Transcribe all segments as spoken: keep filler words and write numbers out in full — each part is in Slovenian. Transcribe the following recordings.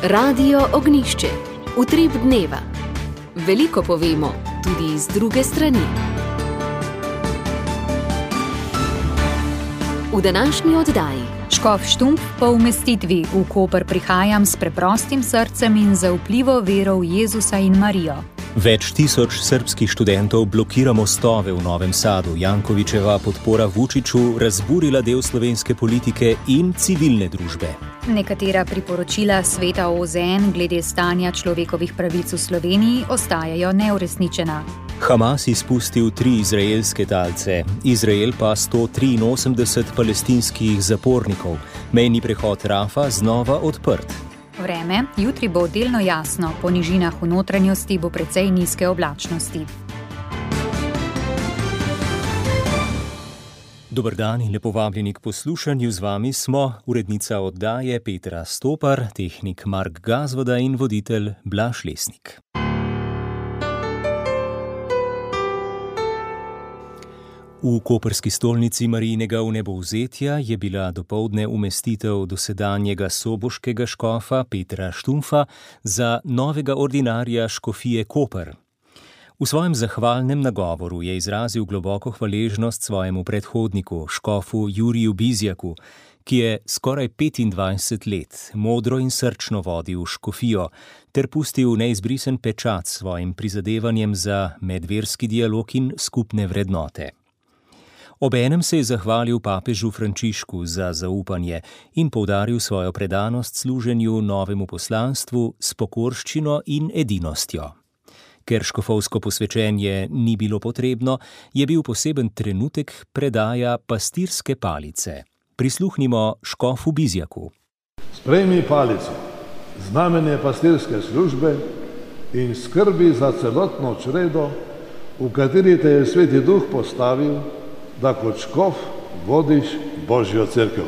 Radio Ognjišče, utrip dneva. Veliko povemo, tudi iz druge strani. V današnji oddaji. Škof Štumpf po umestitvi v Koper prihajam s preprostim srcem in zaupljivo vero v Jezusa in Marijo. Več tisoč srbskih študentov blokira mostove v Novem Sadu. Jankovićeva podpora Vučiću razburila del slovenske politike in civilne družbe. Nekatera priporočila Sveta O Z N glede stanja človekovih pravic v Sloveniji ostajajo neuresničena. Hamas izpustil tri izraelske talce, Izrael pa sto triinosemdeset palestinskih zapornikov. Mejni prehod Rafa znova odprt. Vreme, jutri bo delno jasno, po nižinah v notranjosti bo precej nizke oblačnosti. Dober dan in lepo vabljeni k poslušanju. Z vami smo urednica oddaje Petra Stopar, tehnik Mark Gazvoda in voditelj Blaž Lesnik. V koprski stolnici Marijinega vnebovzetja je bila dopoldne umestitev dosedanjega soboškega škofa Petra Štumpfa za novega ordinarja škofije Koper. V svojem zahvalnem nagovoru je izrazil globoko hvaležnost svojemu predhodniku, škofu Juriju Bizjaku, ki je skoraj petindvajset let modro in srčno vodil škofijo ter pustil neizbrisen pečat svojim prizadevanjem za medverski dialog in skupne vrednote. Obenem se je zahvalil papežu Frančišku za zaupanje in poudaril svojo predanost služenju novemu poslanstvu s pokorščino in edinostjo. Ker škofovsko posvečenje ni bilo potrebno, je bil poseben trenutek predaja pastirske palice. Prisluhnimo škofu Bizjaku. Sprejmi palico, znamenje pastirske službe in skrbi za celotno čredo, v kateri te je Sveti Duh postavil, da kot škof vodiš Božjo cerkev.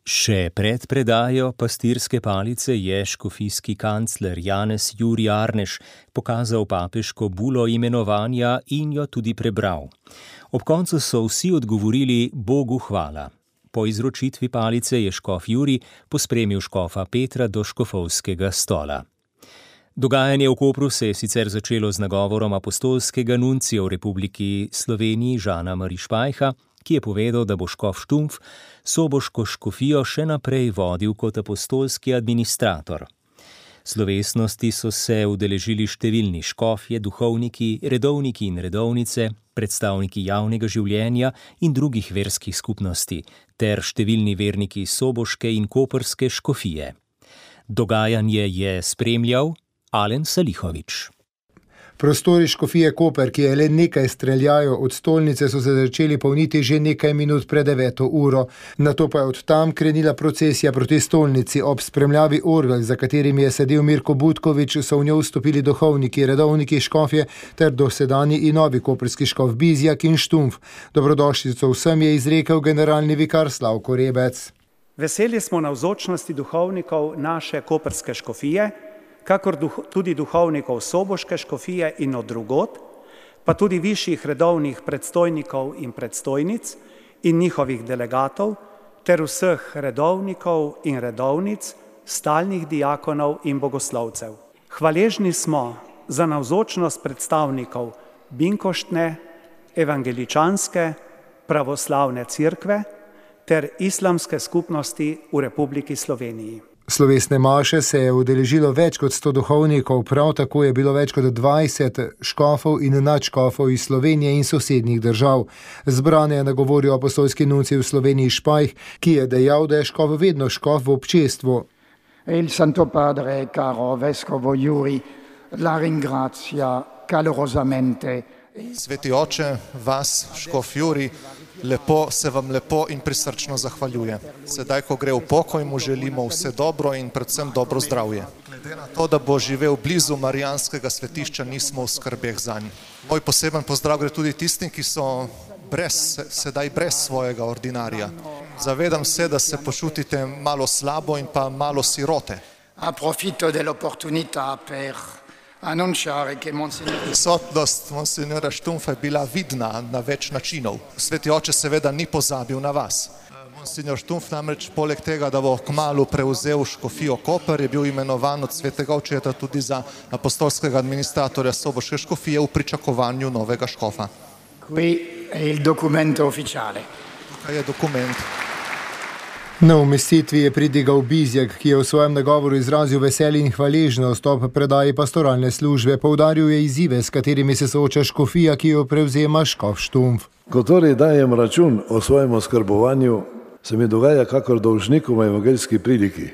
Še pred predajo pastirske palice je škofijski kancler Janez Jurij Arneš pokazal papeško bulo imenovanja in jo tudi prebral. Ob koncu so vsi odgovorili Bogu hvala. Po izročitvi palice je škof Jurij pospremil škofa Petra do škofovskega stola. Dogajanje v Kopru se je sicer začelo z nagovorom apostolskega nuncija v Republiki Sloveniji Žana Marišpajha, ki je povedal, da bo škof Štumpf soboško škofijo še naprej vodil kot apostolski administrator. Slovesnosti so se udeležili številni škofje, duhovniki, redovniki in redovnice, predstavniki javnega življenja in drugih verskih skupnosti, ter številni verniki soboške in koprske škofije. Dogajanje je spremljal Alen Salihovič. Prostori škofije Koper, ki je le nekaj streljajo od stolnice, so se začeli polniti že nekaj minut pred deveto uro. Nato pa je od tam krenila procesija proti stolnici. Ob spremljavi orgel, za katerimi je sedel Mirko Butkovič, so v njo vstopili duhovniki, redovniki škofje ter dosedanji in novi koprski škof Bizjak in Štumpf. Dobrodošlico vsem je izrekel generalni vikar Slavko Rebec. Veseli smo navzočnosti duhovnikov naše koprske škofije, kakor duh, tudi duhovnikov soboške škofije in od drugod, pa tudi višjih redovnih predstojnikov in predstojnic in njihovih delegatov, ter vseh redovnikov in redovnic, stalnih diakonov in bogoslovcev. Hvaležni smo za navzočnost predstavnikov Binkoštne, evangeličanske, pravoslavne cerkve ter islamske skupnosti v Republiki Sloveniji. Slovesne maše se je udeležilo več kot sto duhovnikov, prav tako je bilo več kot dvajset škofov in nadškofov iz Slovenije in sosednjih držav. Zbrane je nagovoril apostolski nuncij v Sloveniji Špajh, ki je dejal, da je škof vedno škof v občestvu. Il Santo Padre, caro vescovo Jurij, la ringrazia calorosamente. Sveti oče, vas, škof Jurij, lepo, se vam lepo in prisrčno zahvaljuje. Sedaj, ko gre v pokoj, mu želimo vse dobro in predvsem dobro zdravje. Glede na to, da bo živel blizu marijanskega svetišča, nismo v skrbeh zanj. Moj poseben pozdrav gre tudi tistim, ki so brez, sedaj brez svojega ordinarja. Zavedam se, da se počutite malo slabo in pa malo sirote. Approfito dell'opportunità per Prisotnost monsignora Štumpfa je bila vidna na več načinov. Sveti oče seveda ni pozabil na vas. Monsignor Štumpf namreč poleg tega, da bo kmalu prevzel škofijo Koper, je bil imenovan od svetega očeta tudi za apostolskega administratorja soboške škofije v pričakovanju novega škofa. Qui è il documento ufficiale. Tukaj je dokument. Na umestitvi je pridigal Bizjak, ki je v svojem nagovoru izrazil veselje in hvaležnost ob predaji pastoralne službe. Poudaril je izzive, s katerimi se sooča škofija, ki jo prevzema škof Štumpf. Ko torej dajem račun o svojem oskrbovanju, se mi dogaja kakor dolžniku v evangeljski priliki.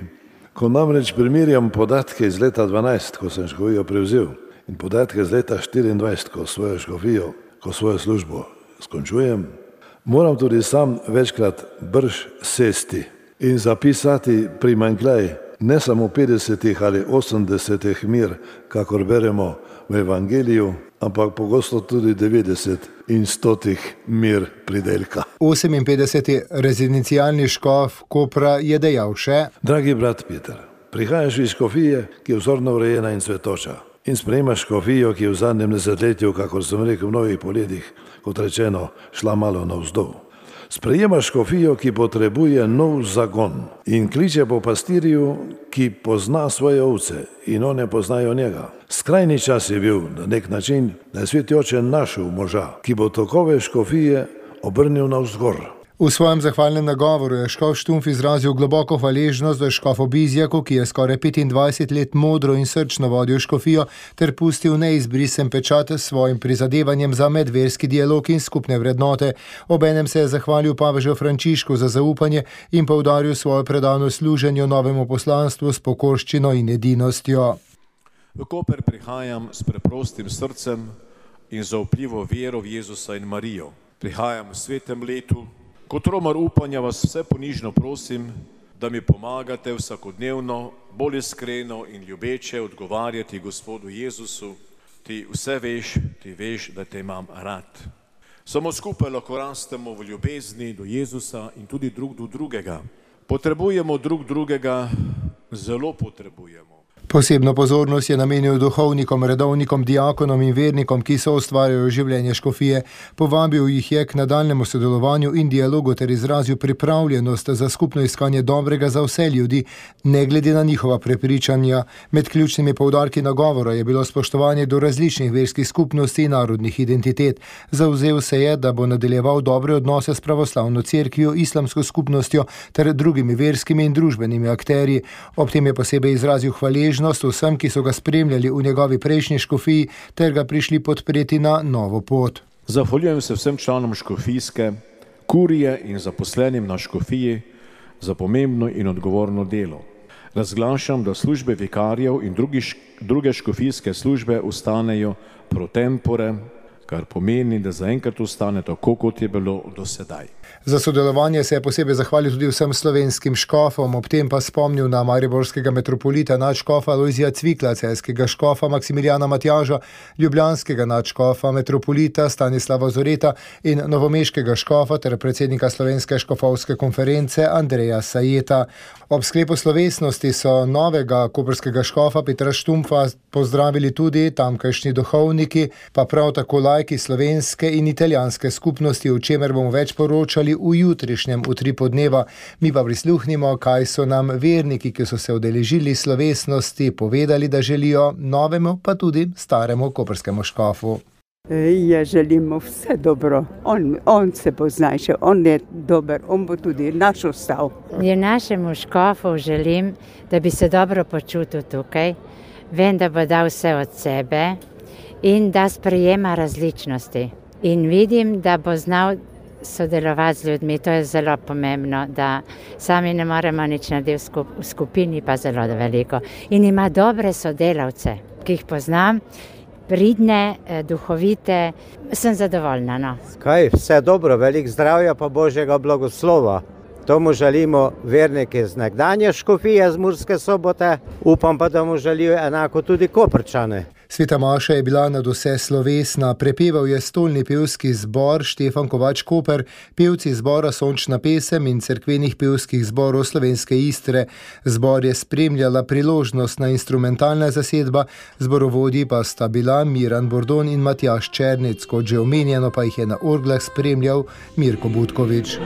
Ko namreč primerjam podatke iz leta dvanajst, ko sem škofijo prevzel, in podatke iz leta štiriindvajset, ko svojo škofijo, ko svojo službo skončujem, moram tudi sam večkrat brž sesti in zapisati primanjkljaj ne samo petdesetih ali osemdesetih mir, kakor beremo v evangeliju, ampak pogosto tudi devetdeset in stotih mir pridelka. oseminpetdeseti rezidencialni škof Kopra je dejal še: Dragi brat Peter, prihajaš iz škofije, ki je vzorno urejena in cvetoča, in sprejemaš škofijo, ki je v zadnjem desetletju, kakor sem rekel, v mnogih poletih, kot rečeno, šla malo navzdol. Sprejemaš škofijo, ki potrebuje nov zagon in kliče po pastirju, ki pozna svoje ovce in one poznajo njega. Skrajni čas je bil na nek način, da je sveti oče našel moža, ki bo tokove škofije obrnil navzgor. V svojem zahvalnem nagovoru je škof Štumpf izrazil globoko hvaležnost za škofu Bizjaku, ki je skoraj petindvajset let modro in srčno vodil škofijo ter pustil neizbrisen pečat s svojim prizadevanjem za medverski dialog in skupne vrednote. Obenem se je zahvalil papežu Frančišku za zaupanje in poudaril svojo predano služenju novemu poslanstvu s pokorščino in edinostjo. V Koper prihajam s preprostim srcem in zaupljivo vero v Jezusa in Marijo. Prihajam v svetem letu. Kot romar upanja vas vse ponižno prosim, da mi pomagate vsakodnevno, bolj iskreno in ljubeče odgovarjati Gospodu Jezusu. Ti vse veš, ti veš, da te imam rad. Samo skupaj lahko rastemo v ljubezni do Jezusa in tudi drug do drugega. Potrebujemo drug drugega, zelo potrebujemo. Posebno pozornost je namenil duhovnikom, redovnikom, diakonom in vernikom, ki so ustvarjajo življenje škofije. Povabil jih je k nadaljnemu sodelovanju in dialogu ter izrazil pripravljenost za skupno iskanje dobrega za vse ljudi, ne glede na njihova prepričanja. Med ključnimi poudarki nagovora je bilo spoštovanje do različnih verskih skupnosti in narodnih identitet. Zavzel se je, da bo nadaljeval dobre odnose s pravoslavno cerkvijo, islamsko skupnostjo ter drugimi verskimi in družbenimi akterji. Ob tem je posebej izrazil hvaležnost vsem, ki so ga spremljali v njegovi prejšnji škofiji ter ga prišli podpreti na novo pot. Zahvaljujem se vsem članom škofijske, kurije in zaposlenim na škofiji za pomembno in odgovorno delo. Razglašam, da službe vikarjev in drugi, druge škofijske službe ostanejo pro tempore, kar pomeni, da zaenkrat ostane tako, kot je bilo do sedaj. Za sodelovanje se je posebej zahvalil tudi vsem slovenskim škofom, ob tem pa spomnil na mariborskega metropolita nadškofa Lojzija Cvikla, celjskega škofa Maksimilijana Matjaža, ljubljanskega nadškofa metropolita Stanislava Zoreta in novomeškega škofa ter predsednika Slovenske škofovske konference Andreja Sajeta. Ob sklepu slovesnosti so novega koprskega škofa Petra Štumpfa pozdravili tudi tamkajšnji duhovniki, pa prav tako laiki slovenske in italijanske skupnosti, o čemer bomo več poročali v jutrišnjem utripu dneva. Mi pa prisluhnimo, kaj so nam verniki, ki so se udeležili slovesnosti, povedali, da želijo novemu, pa tudi staremu koprskemu škofu. Ja želimo vse dobro. On, on se pozna še, on je dober, on bo tudi naš ostal. Ja našemu škofu želim, da bi se dobro počutil tukaj. Vem, da bo dal vse od sebe in da sprejema različnosti. In vidim, da bo znal sodelovati z ljudmi, to je zelo pomembno, da sami ne moremo nič narediti v skupini, pa zelo veliko. In ima dobre sodelavce, ki jih poznam, pridne, duhovite, sem zadovoljna. No. Kaj, vse dobro, veliko zdravja pa Božjega blagoslova. To mu želimo verniki z nekdanje škofije z Murske Sobote, upam pa, da mu želijo enako tudi Koprčane. Sveta maša je bila nadvse slovesna, prepeval je stolni pevski zbor Štefan Kovač Koper, pevci zbora Sončna pesem in cerkvenih pevskih zborov Slovenske Istre. Zbor je spremljala priložnostna instrumentalna zasedba, zborovodji pa sta bila Miran Bordon in Matjaž Černec, kot že omenjeno pa jih je na orglah spremljal Mirko Butkovič.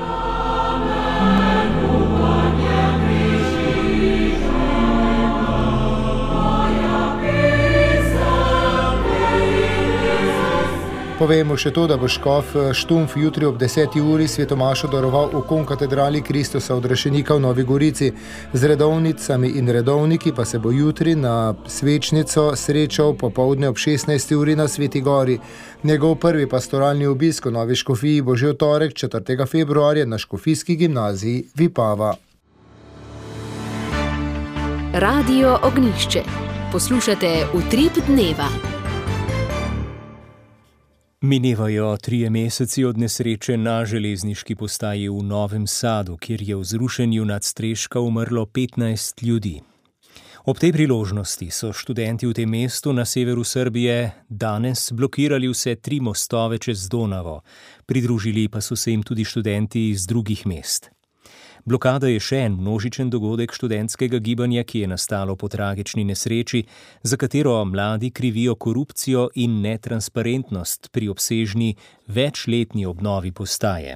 Povemo še to, da bo škof Štumf jutri ob deseti uri svetomašo daroval v konkatedrali Kristusa odrešenika v Novi Gorici. Z redovnicami in redovniki pa se bo jutri na svečnico srečal popoldne ob šestnajsti uri na Sveti Gori. Njegov prvi pastoralni obisk v Novi Škofiji bo že v torek četrtega februarja na Škofijski gimnaziji Vipava. Radio Ognjišče. Poslušate Utrip dneva. Minevajo trije meseci od nesreče na železniški postaji v Novem Sadu, kjer je v zrušenju nadstreška umrlo petnajst ljudi. Ob tej priložnosti so študenti v tem mestu na severu Srbije danes blokirali vse tri mostove čez Donavo. Pridružili pa so se jim tudi študenti iz drugih mest. Blokada je še en množičen dogodek študentskega gibanja, ki je nastalo po tragični nesreči, za katero mladi krivijo korupcijo in netransparentnost pri obsežni večletni obnovi postaje.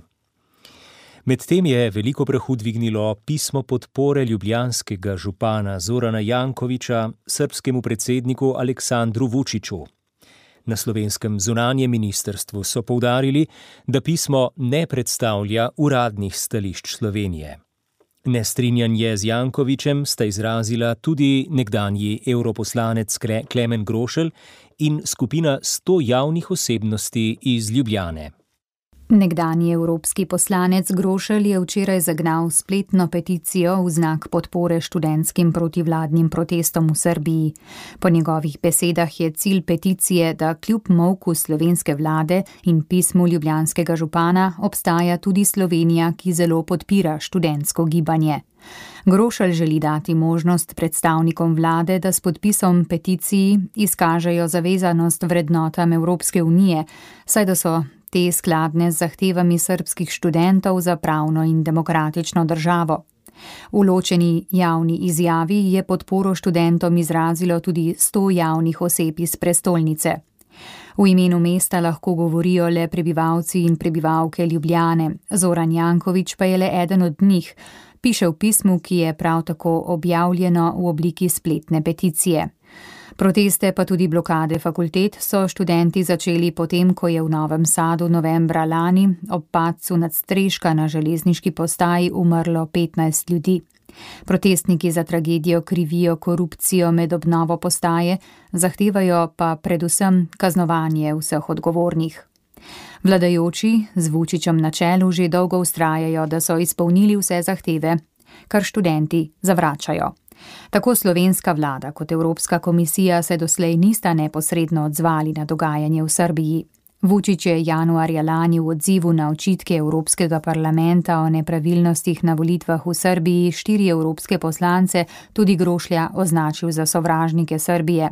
Medtem je veliko prahu dvignilo pismo podpore ljubljanskega župana Zorana Jankovića srbskemu predsedniku Aleksandru Vučiću. Na slovenskem zunanjem ministrstvu so poudarili, da pismo ne predstavlja uradnih stališč Slovenije. Nestrinjanje z Jankovićem sta izrazila tudi nekdanji europoslanec Klemen Grošelj in skupina sto javnih osebnosti iz Ljubljane. Nekdanji evropski poslanec Grošelj je včeraj zagnal spletno peticijo v znak podpore študentskim protivladnim protestom v Srbiji. Po njegovih besedah je cilj peticije, da kljub molku slovenske vlade in pismu ljubljanskega župana obstaja tudi Slovenija, ki zelo podpira študentsko gibanje. Grošelj želi dati možnost predstavnikom vlade, da s podpisom peticiji izkažejo zavezanost vrednotam Evropske unije, saj da so te skladne z zahtevami srbskih študentov za pravno in demokratično državo. V ločeni javni izjavi je podporo študentom izrazilo tudi sto javnih oseb iz prestolnice. V imenu mesta lahko govorijo le prebivalci in prebivalke Ljubljane, Zoran Janković pa je le eden od njih, piše v pismu, ki je prav tako objavljeno v obliki spletne peticije. Proteste pa tudi blokade fakultet so študenti začeli potem, ko je v Novem Sadu novembra lani ob padcu nadstreška na železniški postaji umrlo petnajst ljudi. Protestniki za tragedijo krivijo korupcijo med obnovo postaje, zahtevajo pa predvsem kaznovanje vseh odgovornih. Vladajoči z Vučićem na čelu že dolgo vztrajajo, da so izpolnili vse zahteve, kar študenti zavračajo. Tako slovenska vlada kot Evropska komisija se doslej nista neposredno odzvali na dogajanje v Srbiji. Vučić je januarja lani v odzivu na očitke Evropskega parlamenta o nepravilnostih na volitvah v Srbiji štiri evropske poslance, tudi Grošlja, označil za sovražnike Srbije.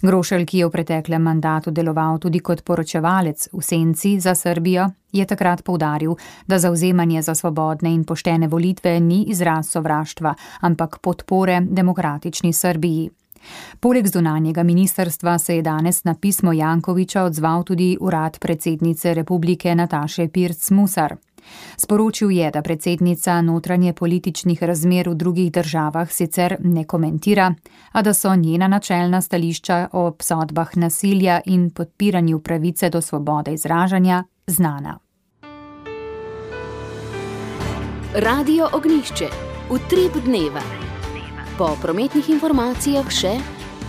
Grošelj, ki je v preteklem mandatu deloval tudi kot poročevalec v senci za Srbijo, je takrat poudaril, da zavzemanje za svobodne in poštene volitve ni izraz sovraštva, ampak podpore demokratični Srbiji. Poleg zunanjega ministrstva se je danes na pismo Jankovića odzval tudi urad predsednice republike Nataše Pirc Musar. Sporočil je, da predsednica notranje političnih razmer v drugih državah sicer ne komentira, a da so njena načelna stališča o obsodbah nasilja in podpiranju pravice do svobode izražanja znana. Radio Ognjišče. Utrip dneva. Po prometnih informacijah še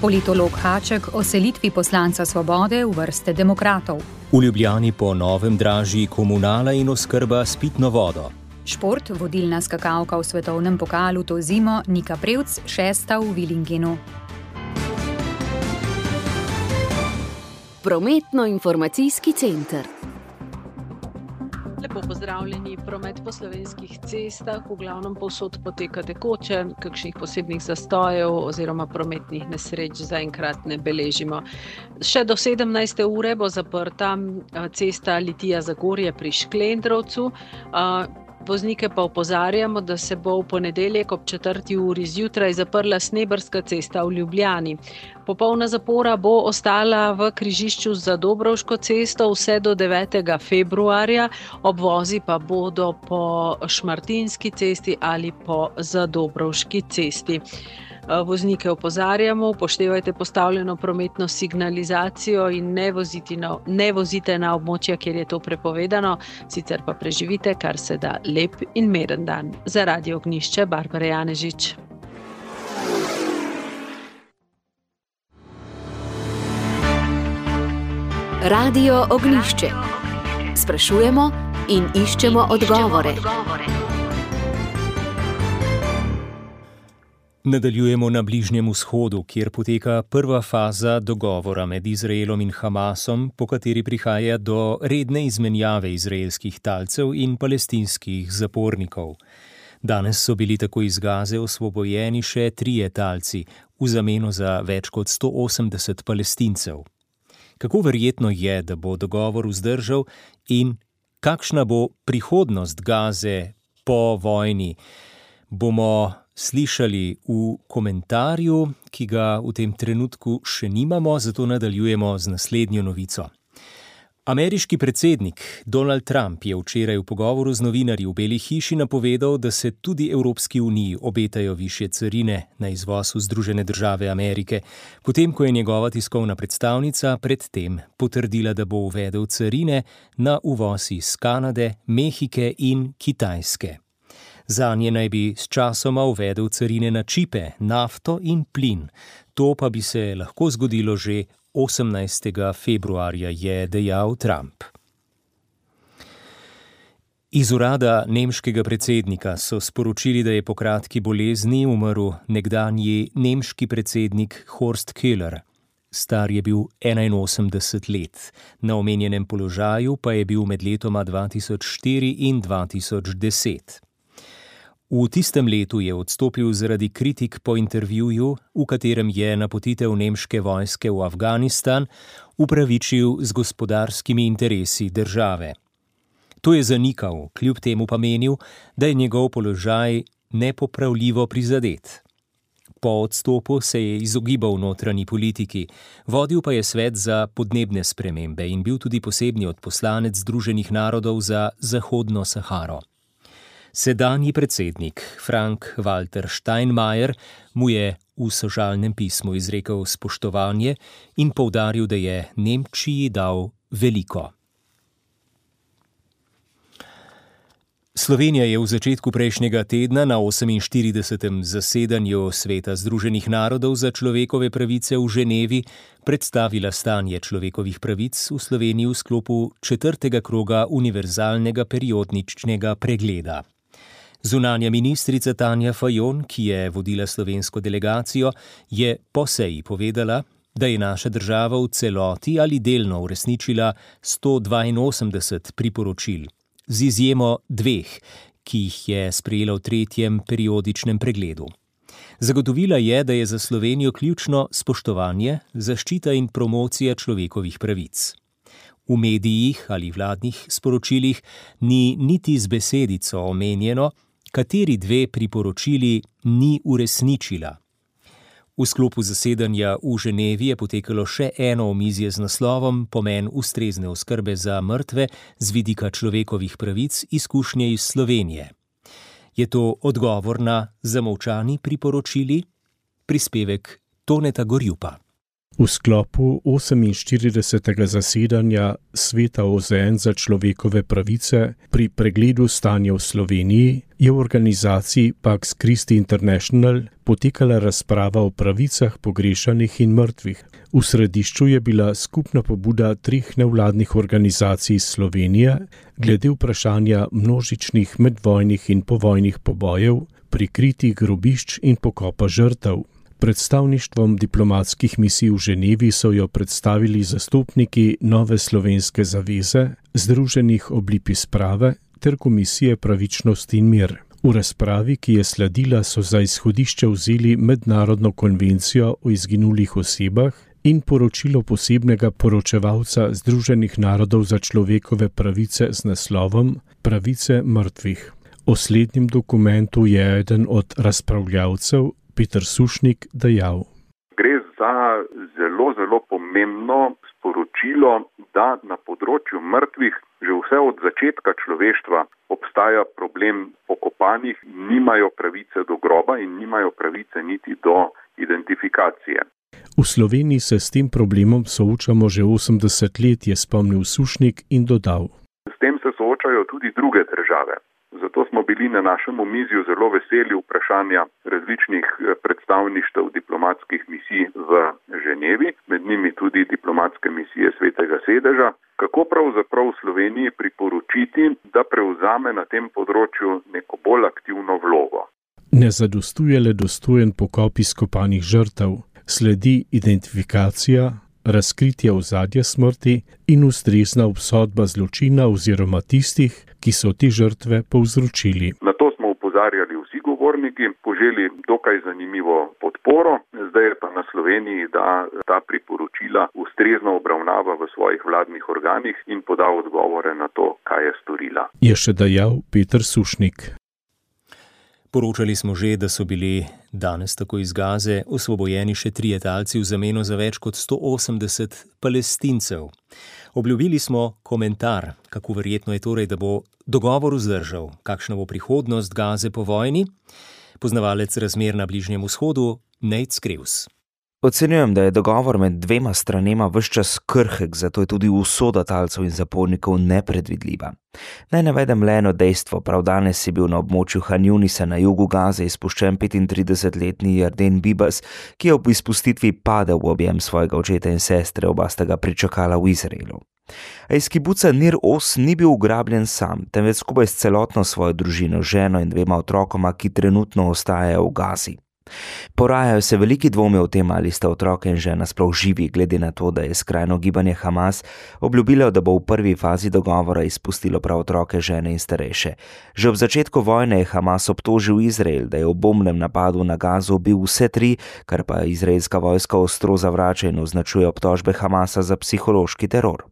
politolog Haček o selitvi poslanca Svobode v vrste demokratov. V Ljubljani po novem dražji komunala in oskrba s pitno vodo. Šport, vodilna skakalka v svetovnem pokalu to zimo, Nika Prevc, šesta v Willingenu. Prometno-informacijski center. Lepo pozdravljeni. Promet po slovenskih cestah v glavnem povsod poteka tekoče, kakšnih posebnih zastojev oziroma prometnih nesreč zaenkrat ne beležimo. Še do sedemnajste ure bo zaprta cesta Litija-Zagorje pri Šklendrovcu. Voznike pa opozarjamo, da se bo v ponedeljek ob četrti uri zjutraj zaprla Sneberska cesta v Ljubljani. Popolna zapora bo ostala v križišču za Dobrovško cesto vse do devetega februarja, obvozi pa bodo po Šmartinski cesti ali po Zadobrovški cesti. Voznike opozarjamo, upoštevajte postavljeno prometno signalizacijo in ne, na, ne vozite na območja, kjer je to prepovedano, sicer pa preživite kar se da lep in miren dan. Za Radio Ognjišče, Barbara Janežič. Radio Ognjišče. Sprašujemo in iščemo odgovore. Nadaljujemo na Bližnjem vzhodu, kjer poteka prva faza dogovora med Izraelom in Hamasom, po kateri prihaja do redne izmenjave izraelskih talcev in palestinskih zapornikov. Danes so bili tako iz Gaze osvobojeni še trije talci, v zameno za več kot sto osemdeset Palestincev. Kako verjetno je, da bo dogovor vzdržal in kakšna bo prihodnost Gaze po vojni, bomo slišali v komentarju, ki ga v tem trenutku še nimamo, zato nadaljujemo z naslednjo novico. Ameriški predsednik Donald Trump je včeraj v pogovoru z novinarji v Beli hiši napovedal, da se tudi Evropski uniji obetajo višje carine na izvoz v Združene države Amerike, potem ko je njegova tiskovna predstavnica predtem potrdila, da bo uvedel carine na uvoz iz Kanade, Mehike in Kitajske. Zanje naj bi s časoma uvedel carine na čipe, nafto in plin. To pa bi se lahko zgodilo že osemnajstega februarja, je dejal Trump. Iz urada nemškega predsednika so sporočili, da je po kratki bolezni umrl nekdanji nemški predsednik Horst Köhler. Star je bil enainosemdeset let. Na omenjenem položaju pa je bil med letoma dva tisoč štiri in dva tisoč deset. V tistem letu je odstopil zaradi kritik po intervjuju, v katerem je napotitev nemške vojske v Afganistan upravičil z gospodarskimi interesi države. To je zanikal, kljub temu pa menil, da je njegov položaj nepopravljivo prizadet. Po odstopu se je izogibal notranji politiki, vodil pa je svet za podnebne spremembe in bil tudi posebni odposlanec Združenih narodov za Zahodno Saharo. Sedanji predsednik Frank-Walter Steinmeier mu je v sožalnem pismu izrekel spoštovanje in poudaril, da je Nemčiji dal veliko. Slovenija je v začetku prejšnjega tedna na oseminštiridesetem zasedanju Sveta Združenih narodov za človekove pravice v Ženevi predstavila stanje človekovih pravic v Sloveniji v sklopu četrtega kroga univerzalnega periodičnega pregleda. Zunanja ministrica Tanja Fajon, ki je vodila slovensko delegacijo, je po seji povedala, da je naša država v celoti ali delno uresničila sto dvainosemdeset priporočil, z izjemo dveh, ki jih je sprejela v tretjem periodičnem pregledu. Zagotovila je, da je za Slovenijo ključno spoštovanje, zaščita in promocija človekovih pravic. V medijih ali vladnih sporočilih ni niti z besedico omenjeno, kateri dve priporočili ni uresničila. V sklopu zasedanja v Ženevi je potekalo še eno omizje z naslovom Pomen ustrezne oskrbe za mrtve z vidika človekovih pravic, izkušnje iz Slovenije. Je to odgovor na zamolčani priporočili? Prispevek Toneta Gorjupa. V sklopu oseminštiridesetega zasedanja Sveta O Z N za človekove pravice pri pregledu stanja v Sloveniji je v organizaciji Pax Christi International potekala razprava o pravicah pogrešanih in mrtvih. V središču je bila skupna pobuda treh nevladnih organizacij iz Slovenije glede vprašanja množičnih medvojnih in povojnih pobojev, prikritih grobišč in pokopa žrtev. Predstavništvom diplomatskih misij v Ženevi so jo predstavili zastopniki Nove slovenske zaveze, Združenih oblipi sprave ter Komisije pravičnost in mir. V razpravi, ki je sledila, so za izhodišče vzeli mednarodno konvencijo o izginulih osebah in poročilo posebnega poročevalca Združenih narodov za človekove pravice z naslovom Pravice mrtvih. O slednjem dokumentu je eden od razpravljavcev, Peter Sušnik, dejal. Gre za zelo, zelo pomembno sporočilo, da na področju mrtvih že vse od začetka človeštva obstaja problem pokopanih, nimajo pravice do groba in nimajo pravice niti do identifikacije. V Sloveniji se s tem problemom soočamo že osemdeset let, je spomnil Sušnik in dodal. S tem se soočajo tudi druge države. Zato smo bili na našem omizju zelo veseli vprašanja različnih predstavništev diplomatskih misij v Ženevi, med njimi tudi diplomatske misije Svetega sedeža, kako pravzaprav v Sloveniji priporočiti, da prevzame na tem področju neko bolj aktivno vlogo. Ne zadostuje le dostojen pokop izkopanih žrtev, sledi identifikacija, razkritje ozadja smrti in ustrezna obsodba zločina oziroma tistih, ki so te žrtve povzročili. Na to smo opozarjali vsi govorniki, poželi dokaj zanimivo podporo, zdaj je pa na Sloveniji, da ta priporočila ustrezno obravnava v svojih vladnih organih in poda odgovore na to, kaj je storila. Je še dejal Peter Sušnik. Poročali smo že, da so bili danes tako iz Gaze osvobojeni še trije talci v zameno za več kot sto osemdeset Palestincev. Obljubili smo komentar, kako verjetno je torej, da bo dogovor vzdržal, kakšna bo prihodnost Gaze po vojni. Poznavalec razmer na Bližnjem vzhodu Nate Skrevs. Ocenjujem, da je dogovor med dvema stranema ves čas krhek, zato je tudi usoda talcev in zapornikov nepredvidljiva. Naj navedem le eno dejstvo, prav danes je bil na območju Han Junisa na jugu Gaze izpuščen petintridesetletni Yarden Bibas, ki je ob izpustitvi padel v objem svojega očeta in sestre, oba sta ga pričakala v Izraelu. A iz kibuca Nir Oz ni bil ugrabljen sam, temveč skupaj s celotno svojo družino, ženo in dvema otrokoma, ki trenutno ostajajo v Gazi. Porajajo se veliki dvomi o tem, ali sta otroke in žena sploh živi, glede na to, da je skrajno gibanje Hamas obljubilo, da bo v prvi fazi dogovora izpustilo prav otroke, žene in starejše. Že ob začetku vojne je Hamas obtožil Izrael, da je v bombnem napadu na Gazo ubil vse tri, kar pa izraelska vojska ostro zavrača in označuje obtožbe Hamasa za psihološki teror.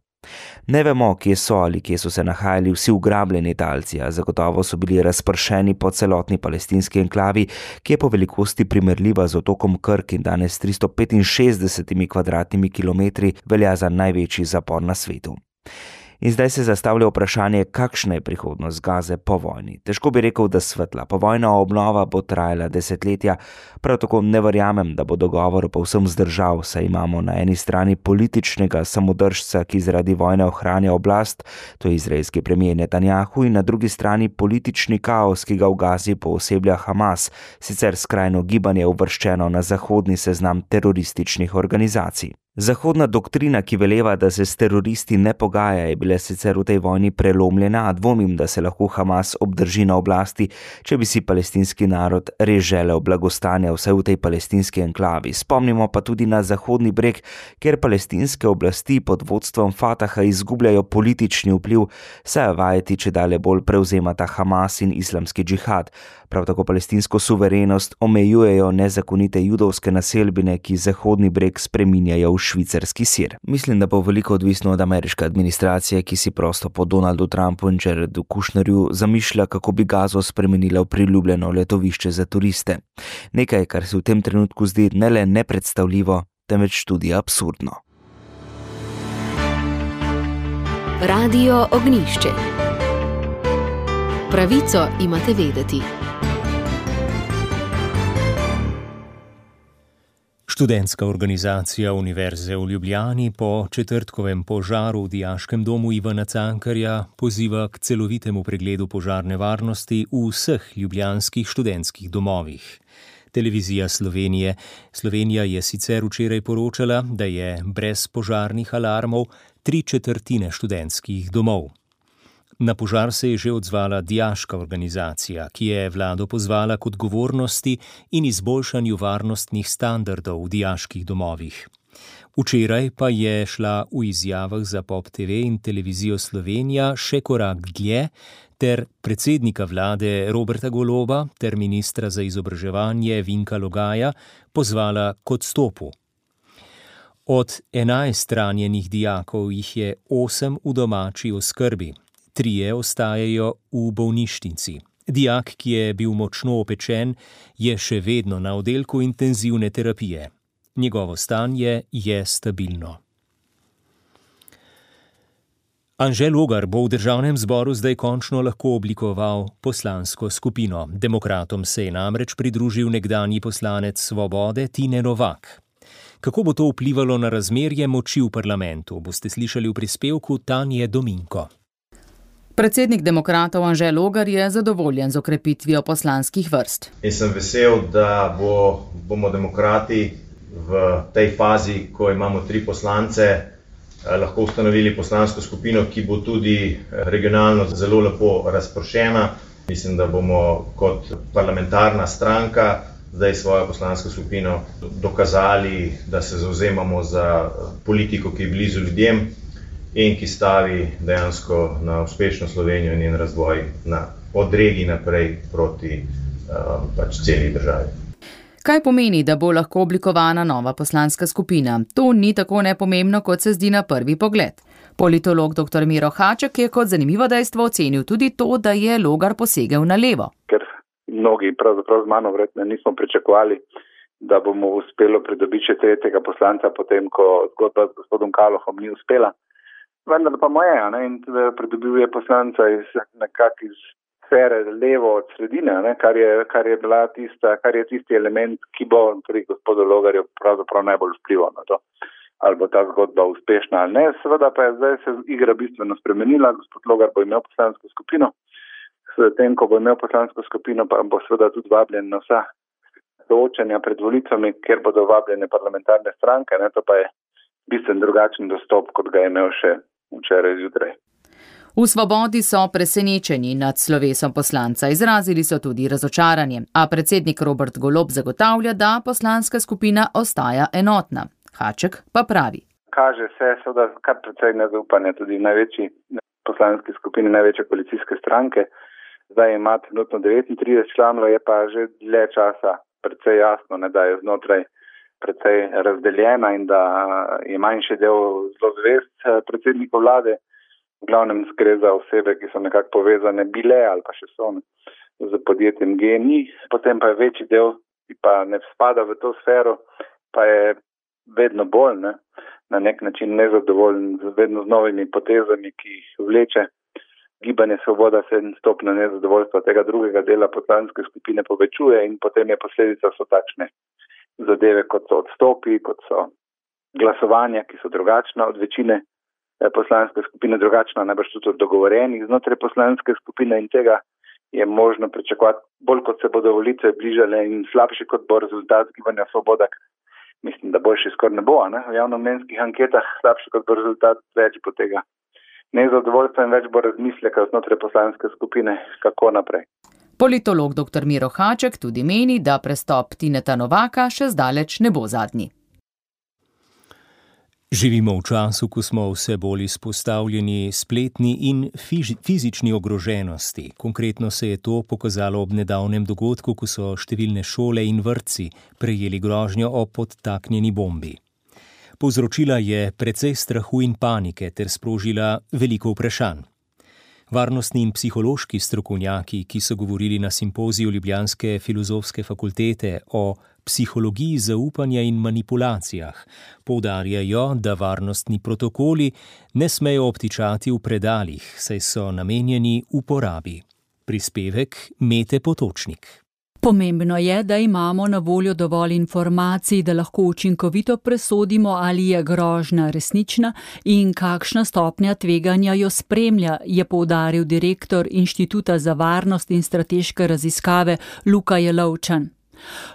Ne vemo, kje so ali kje so se nahajali vsi ugrabljeni talci, a zagotovo so bili razpršeni po celotni palestinski enklavi, ki je po velikosti primerljiva z otokom Krk in danes tristo petinšestdesetimi kvadratnimi kilometri velja za največji zapor na svetu. In zdaj se zastavlja vprašanje, kakšna je prihodnost Gaze po vojni. Težko bi rekel, da svetla. Povojna obnova bo trajala desetletja, prav tako ne verjamem, da bo dogovor povsem zdržal, saj imamo na eni strani političnega samodržca, ki zaradi vojne ohranja oblast, to je izraelski premier Netanjahu, in na drugi strani politični kaos, ki ga v Gazi pooseblja Hamas, sicer skrajno gibanje uvrščeno na zahodni seznam terorističnih organizacij. Zahodna doktrina, ki veleva, da se s teroristi ne pogaja, je bila sicer v tej vojni prelomljena, a dvomim, da se lahko Hamas obdrži na oblasti, če bi si palestinski narod res želel blagostanja vsaj v tej palestinski enklavi. Spomnimo pa tudi na Zahodni breg, kjer palestinske oblasti pod vodstvom Fataha izgubljajo politični vpliv, saj vajeti čedalje bolj prevzemata Hamas in islamski džihad. Prav tako palestinsko suverenost omejujejo nezakonite judovske naselbine, ki Zahodni breg spreminjajo v švicarski sir. Mislim, da bo veliko odvisno od ameriške administracije, ki si prosto po Donaldu Trumpu in Jaredu Kushnerju zamišlja, kako bi Gazo spremenila v priljubljeno letovišče za turiste. Nekaj, kar se v tem trenutku zdi ne le nepredstavljivo, temveč tudi absurdno. Radio Ognjišče. Pravico imate vedeti. Študentska organizacija Univerze v Ljubljani po četrtkovem požaru v Dijaškem domu Ivana Cankarja poziva k celovitemu pregledu požarne varnosti v vseh ljubljanskih študentskih domovih. Televizija Slovenije. Slovenija je sicer včeraj poročala, da je brez požarnih alarmov tri četrtine študentskih domov. Na požar se je že odzvala dijaška organizacija, ki je vlado pozvala k odgovornosti in izboljšanju varnostnih standardov v dijaških domovih. Včeraj pa je šla v izjavah za Pop T V in Televizijo Slovenija še korak dlje ter predsednika vlade Roberta Goloba ter ministra za izobraževanje Vinka Logaja pozvala k odstopu. Od enajst ranjenih dijakov jih je osem v domači oskrbi, trije ostajajo v bolnišnici. Dijak, ki je bil močno opečen, je še vedno na oddelku intenzivne terapije. Njegovo stanje je stabilno. Anže Logar bo v državnem zboru zdaj končno lahko oblikoval poslansko skupino. Demokratom se je namreč pridružil nekdanji poslanec Svobode Tine Novak. Kako bo to vplivalo na razmerje moči v parlamentu, boste slišali v prispevku Tanje Dominko. Predsednik demokratov Anže Logar je zadovoljen z okrepitvijo poslanskih vrst. In sem vesel, da bo, bomo demokrati v tej fazi, ko imamo tri poslance, lahko ustanovili poslansko skupino, ki bo tudi regionalno zelo lepo razpršena. Mislim, da bomo kot parlamentarna stranka zdaj svojo poslansko skupino dokazali, da se zavzemamo za politiko, ki je blizu ljudem in ki stavi dejansko na uspešno Slovenijo in njen razvoj na, od regij naprej proti uh, pač celi državi. Kaj pomeni, da bo lahko oblikovana nova poslanska skupina? To ni tako nepomembno, kot se zdi na prvi pogled. Politolog doktor Miro Haček je kot zanimivo dejstvo ocenil tudi to, da je Logar posegel na levo. Ker mnogi pravzaprav z mano verjetno nismo pričakovali, da bomo uspelo pridobiti še tretjega poslanca, potem ko zgodba z gospodom Kalohom ni uspela. Vendar pa moja, ne, in pridobil je poslanca iz nekak iz sfere levo od sredine, ne, kar je, kar je bila tista, kar je tisti element, ki bo pri gospodu Logarju pravzaprav najbolj vplival na to, ali bo ta zgodba uspešna ali ne. Seveda pa je zdaj se igra bistveno spremenila, gospod Logar bo imel poslansko skupino, s tem, ko bo imel poslansko skupino, pa bo seveda tudi vabljen na vsa soočenja pred volitvami, kjer bodo vabljene parlamentarne stranke, ne, to pa je bistveno drugačen dostop, kot ga je imel še včeraj zjutraj. V Svobodi so presenečeni nad slovesom poslanca, izrazili so tudi razočaranje, a predsednik Robert Golob zagotavlja, da poslanska skupina ostaja enotna. Haček pa pravi. Kaže se, seveda, kar precej nezaupanja tudi v največji poslanski skupini, največje koalicijske stranke. Zdaj ima trenutno devetintrideset članov, je pa že dlje časa precej jasno, ne, da je znotraj precej razdeljena in da je manjši del zelo zvest predsednikov vlade. V glavnem gre za osebe, ki so nekako povezane bile ali pa še so z podjetjem G N I. Potem pa je večji del, ki pa ne spada v to sfero, pa je vedno bolj ne, na nek način nezadovoljen z vedno z novimi potezami, ki jih vleče. Gibanje Svoboda se stopna nezadovoljstva tega drugega dela poslanske skupine povečuje in potem je posledica so takšne zadeve, kot so odstopi, kot so glasovanja, ki so drugačna od večine poslanske skupine, drugačna najbrž tudi od dogovorenih znotraj poslanske skupine in tega je možno pričakovati bolj, kot se bodo volitve bližale in slabši, kot bo rezultat Gibanja Svoboda. Mislim, da boljši skoraj ne bo, ne? V javnomnenjskih anketah slabši, kot bo rezultat, več bo tega nezadovoljstva in več bo razmisleka znotraj poslanske skupine, kako naprej. Politolog doktor Miro Haček tudi meni, da prestop Tineta Novaka še zdaleč ne bo zadnji. Živimo v času, ko smo vse bolj izpostavljeni spletni in fizični ogroženosti. Konkretno se je to pokazalo ob nedavnem dogodku, ko so številne šole in vrtci prejeli grožnjo o podtaknjeni bombi. Povzročila je precej strahu in panike ter sprožila veliko vprašanj. Varnostni in psihološki strokovnjaki, ki so govorili na simpoziju Ljubljanske filozofske fakultete o psihologiji zaupanja in manipulacijah, poudarjajo, da varnostni protokoli ne smejo obtičati v predalih, saj so namenjeni uporabi. Prispevek Mete Potočnik. Pomembno je, da imamo na voljo dovolj informacij, da lahko učinkovito presodimo, ali je grožnja resnična in kakšna stopnja tveganja jo spremlja, je poudaril direktor Inštituta za varnost in strateške raziskave Luka Jelovčan.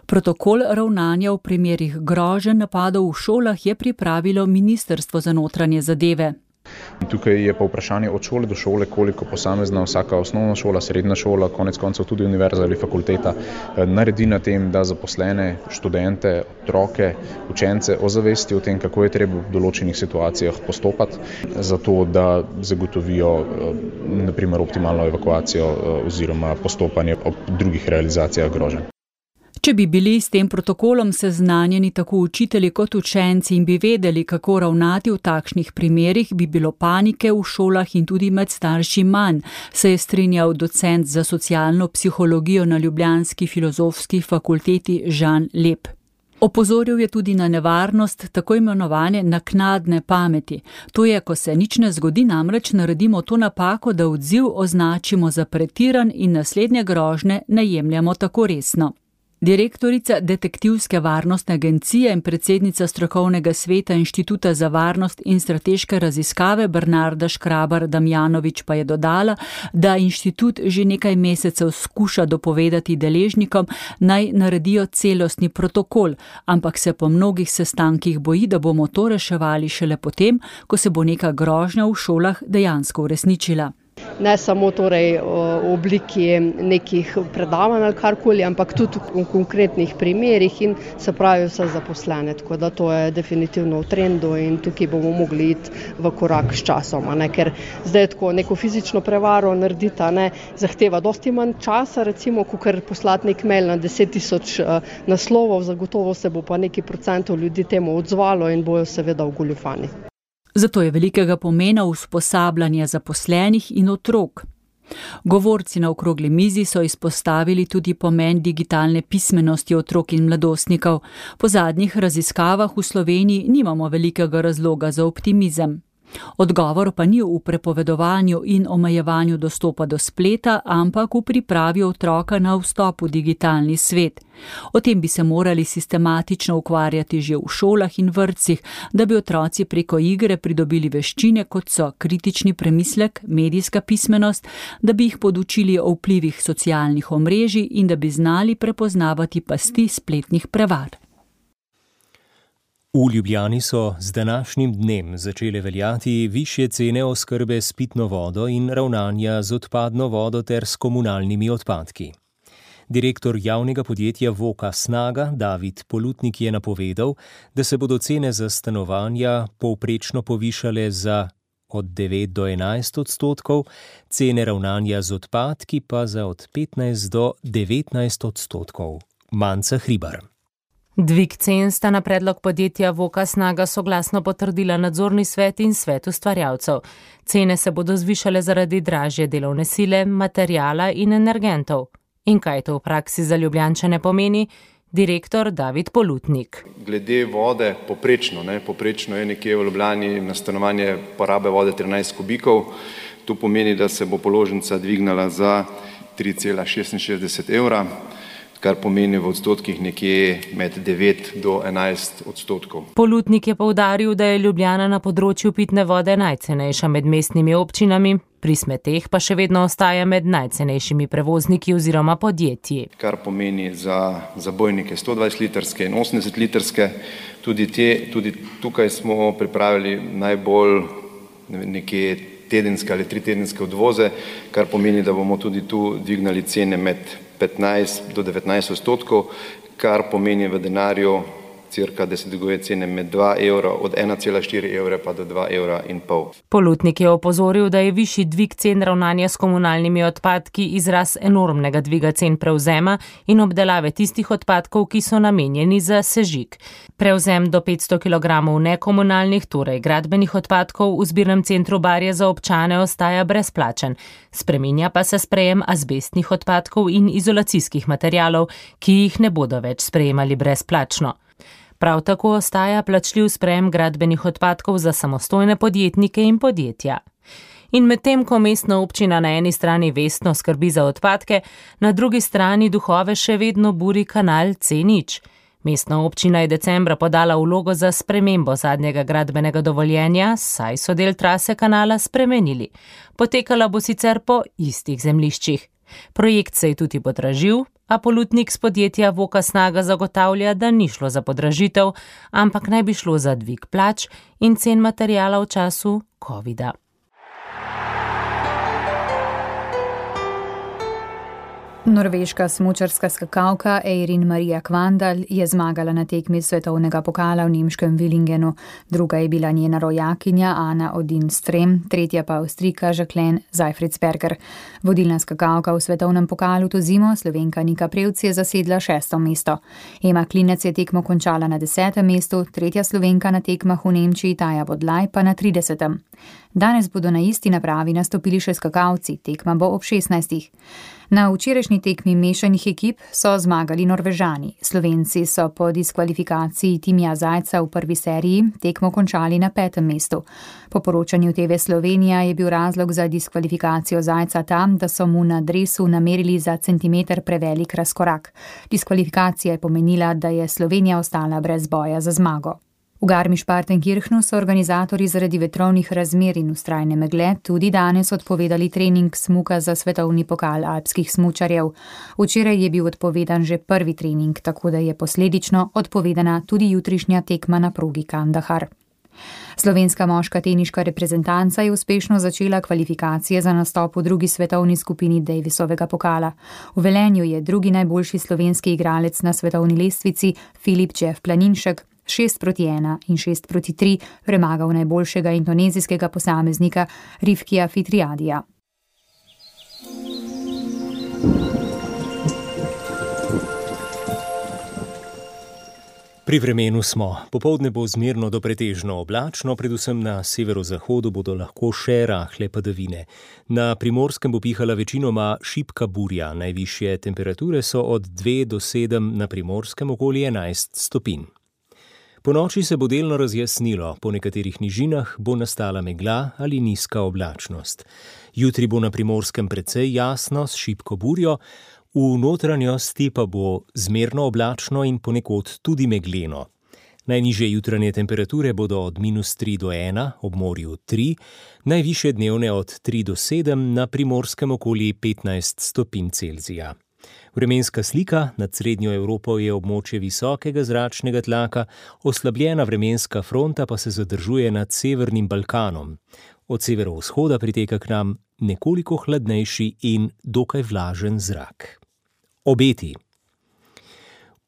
Protokol ravnanja v primerih groženj napadov v šolah je pripravilo Ministrstvo za notranje zadeve. Tukaj je pa vprašanje od šole do šole, koliko posamezna vsaka osnovna šola, srednja šola, konec koncev tudi univerza ali fakulteta naredi na tem, da zaposlene študente, otroke, učence ozavesti o tem, kako je treba v določenih situacijah postopati, zato da zagotovijo na primer optimalno evakuacijo oziroma postopanje ob drugih realizacijah groženj. Če bi bili s tem protokolom seznanjeni tako učitelji kot učenci in bi vedeli, kako ravnati v takšnih primerih, bi bilo panike v šolah in tudi med starši manj, se je strinjal docent za socialno psihologijo na ljubljanski filozofski fakulteti Žan Lep. Opozoril je tudi na nevarnost tako imenovane naknadne pameti. To je, ko se nič ne zgodi, namreč naredimo to napako, da odziv označimo za pretiran in naslednje grožnje ne jemljemo tako resno. Direktorica Detektivske varnostne agencije in predsednica strokovnega sveta Inštituta za varnost in strateške raziskave Bernarda Škrabar Damjanovič pa je dodala, da inštitut že nekaj mesecev skuša dopovedati deležnikom, naj naredijo celostni protokol, ampak se po mnogih sestankih boji, da bomo to reševali šele potem, ko se bo neka grožnja v šolah dejansko uresničila. Ne samo torej v obliki nekih predavanj ali karkoli, ampak tudi v konkretnih primerih in se pravi vse zaposlene. Tako da to je definitivno v trendu in tukaj bomo mogli iti v korak s časom, ne? Ker zdaj tako neko fizično prevaro narediti, ne, zahteva dosti manj časa, recimo, kakor poslati nek mail na deset tisoč naslovov, zagotovo se bo pa neki procentov ljudi temu odzvalo in bojo seveda ogoljufani. Zato je velikega pomena usposabljanje zaposlenih in otrok. Govorci na okrogli mizi so izpostavili tudi pomen digitalne pismenosti otrok in mladostnikov. Po zadnjih raziskavah v Sloveniji nimamo velikega razloga za optimizem. Odgovor pa ni v prepovedovanju in omejevanju dostopa do spleta, ampak v pripravi otroka na vstop v digitalni svet. O tem bi se morali sistematično ukvarjati že v šolah in vrtcih, da bi otroci preko igre pridobili veščine, kot so kritični premislek, medijska pismenost, da bi jih podučili o vplivih socialnih omrežij in da bi znali prepoznavati pasti spletnih prevar. V Ljubljani so z današnjim dnem začele veljati višje cene oskrbe s pitno vodo in ravnanja z odpadno vodo ter s komunalnimi odpadki. Direktor javnega podjetja Voka Snaga David Polutnik je napovedal, da se bodo cene za stanovanja povprečno povišale za od devet do enajst odstotkov, cene ravnanja z odpadki pa za od petnajst do devetnajst odstotkov. Manca Hribar. Dvig cen sta na predlog podjetja Voka Snaga soglasno potrdila nadzorni svet in svet ustvarjalcev. Cene se bodo zvišale zaradi dražje delovne sile, materijala in energentov. In kaj to v praksi za Ljubljančane pomeni? Direktor David Polutnik. Glede vode, poprečno, ne, poprečno je nekje v Ljubljani na stanovanje porabe vode trinajst kubikov. To pomeni, da se bo položnica dvignala za tri cela šestinšestdeset evra, kar pomeni v odstotkih nekje med devet do enajst odstotkov. Polutnik je poudaril, da je Ljubljana na področju pitne vode najcenejša med mestnimi občinami, pri smeteh pa še vedno ostaja med najcenejšimi prevozniki oziroma podjetji. Kar pomeni za zabojnike sto dvajset litrske in osemdeset litrske. Tudi, te, tudi tukaj smo pripravili najbolj nekje tedenske ali tritedenske odvoze, kar pomeni, da bomo tudi tu dvignali cene med petnajst do devetnajst odstotkov, kar pomeni v denarju cirka, da se dviguje cene med dva evra, od ena cela štiri evra pa do dva evra in pol. Polutnik je opozoril, da je višji dvig cen ravnanja s komunalnimi odpadki izraz enormnega dviga cen prevzema in obdelave tistih odpadkov, ki so namenjeni za sežig. Prevzem do petsto kilogramov nekomunalnih, torej gradbenih odpadkov v zbirnem centru Barje za občane ostaja brezplačen. Spreminja pa se sprejem azbestnih odpadkov in izolacijskih materialov, ki jih ne bodo več sprejemali brezplačno. Prav tako ostaja plačljiv sprejem gradbenih odpadkov za samostojne podjetnike in podjetja. In medtem, ko mestna občina na eni strani vestno skrbi za odpadke, na drugi strani duhove še vedno buri kanal C nič. Mestna občina je decembra podala vlogo za spremembo zadnjega gradbenega dovoljenja, saj so del trase kanala spremenili. Potekala bo sicer po istih zemljiščih. Projekt se je tudi podražil, a Polutnik z podjetja Voka Snaga zagotavlja, da ni šlo za podražitev, ampak naj bi šlo za dvig plač in cen materiala v času covida. Norveška smučarska skakalka Eirin Maria Kvandal je zmagala na tekmi svetovnega pokala v nemškem Villingenu. Druga je bila njena rojakinja Ana Odin Strem, tretja pa Avstrijka Jacqueline Seifritzberger. Vodilna skakalka v svetovnem pokalu to zimo, Slovenka Nika Prevc, je zasedla šesto mesto. Ema Klinec je tekmo končala na desetem mestu, tretja Slovenka na tekmah v Nemčiji Taja Bodlaj pa na tridesetem. Danes bodo na isti napravi nastopili še skakalci, tekma bo ob šestnajstih. Na včerajšnji tekmi mešanih ekip so zmagali Norvežani. Slovenci so po diskvalifikaciji Timija Zajca v prvi seriji tekmo končali na petem mestu. Po poročanju T V Slovenija je bil razlog za diskvalifikacijo Zajca tam, da so mu na dresu namerili za centimeter prevelik razkorak. Diskvalifikacija je pomenila, da je Slovenija ostala brez boja za zmago. V Garmisch-Partenkirchnu so organizatorji zaradi vetrovnih razmer in vztrajne megle tudi danes odpovedali trening smuka za svetovni pokal alpskih smučarjev. Včeraj je bil odpovedan že prvi trening, tako da je posledično odpovedana tudi jutrišnja tekma na progi Kandahar. Slovenska moška teniška reprezentanca je uspešno začela kvalifikacije za nastop v drugi svetovni skupini Davisovega pokala. V Velenju je drugi najboljši slovenski igralec na svetovni lestvici Filip Jeff Planinšek šest proti ena in šest proti tri premagal najboljšega indonezijskega posameznika Rifkija Fitriadija. Pri vremenu smo. Popoldne bo zmerno do pretežno oblačno, predvsem na severozahodu bodo lahko še rahle padavine. Na Primorskem bo pihala večinoma šibka burja, najvišje temperature so od dve do sedem, na Primorskem okoli enajst stopinj. Po noči se bo delno razjasnilo, po nekaterih nižinah bo nastala megla ali nizka oblačnost. Jutri bo na Primorskem precej jasno s šibko burjo, v notranjosti pa bo zmerno oblačno in ponekod tudi megleno. Najnižje jutranje temperature bodo od minus tri do ena, ob morju tri, najvišje dnevne od tri do sedem, na Primorskem okoli petnajst stopinj Celzija. Vremenska slika nad srednjo Evropo je območje visokega zračnega tlaka, oslabljena vremenska fronta pa se zadržuje nad severnim Balkanom. Od severovzhoda priteka k nam nekoliko hladnejši in dokaj vlažen zrak. Obeti.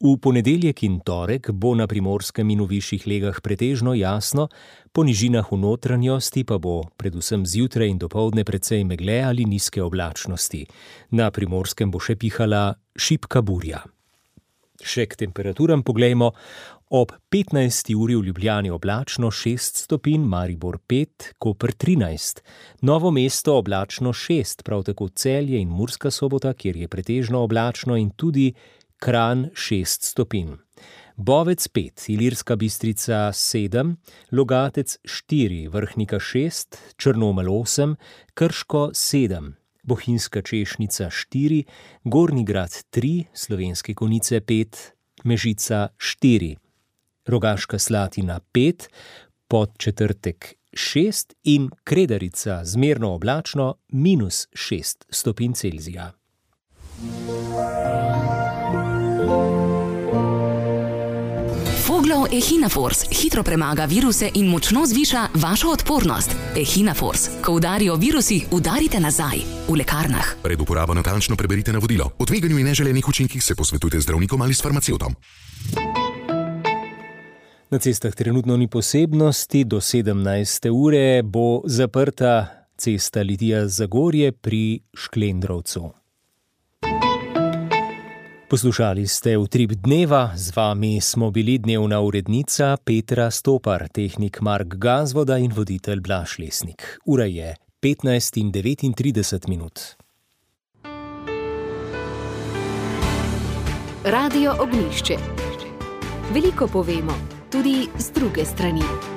V ponedeljek in torek bo na Primorskem in v višjih legah pretežno jasno, po nižinah v notranjosti pa bo predvsem zjutraj in dopoldne precej megle ali nizke oblačnosti. Na Primorskem bo še pihala šibka burja. Še k temperaturam poglejmo. Ob petnajsti uri v Ljubljani oblačno šest stopinj, Maribor pet, Koper trinajst. Novo mesto oblačno šest, prav tako Celje in Murska Sobota, kjer je pretežno oblačno, in tudi Kranj šest stopinj. Bovec pet, Ilirska Bistrica sedem, Logatec štiri, Vrhnika šest, Črnomelj osem, Krško sedem, Bohinjska Češnica štiri, Gornji Grad tri, Slovenske Konjice pet, Mežica štiri, Rogaška Slatina pet, Podčetrtek šest in Kredarica zmerno oblačno minus šest stopinj Celzija. Foglov Echinafors hitro premaga viruse in močno zviša vašo odpornost. Echinafors. Ko udarijo virusi, udarite nazaj. V lekarnah. Pred uporabo natančno preberite navodilo. O tveganju in neželenih učinkih se posvetujte z zdravnikom ali s farmacevtom. Na cestah trenutno ni posebnosti, do sedemnajste ure bo zaprta cesta Litija-Zagorje pri Šklendrovcu. Poslušali ste Utrip dneva, z vami smo bili dnevna urednica Petra Stopar, tehnik Mark Gazvoda in voditelj Blaž Lesnik. Ura je petnajst in devetintrideset minut. Radio Ognjišče. Veliko povemo, tudi z druge strani.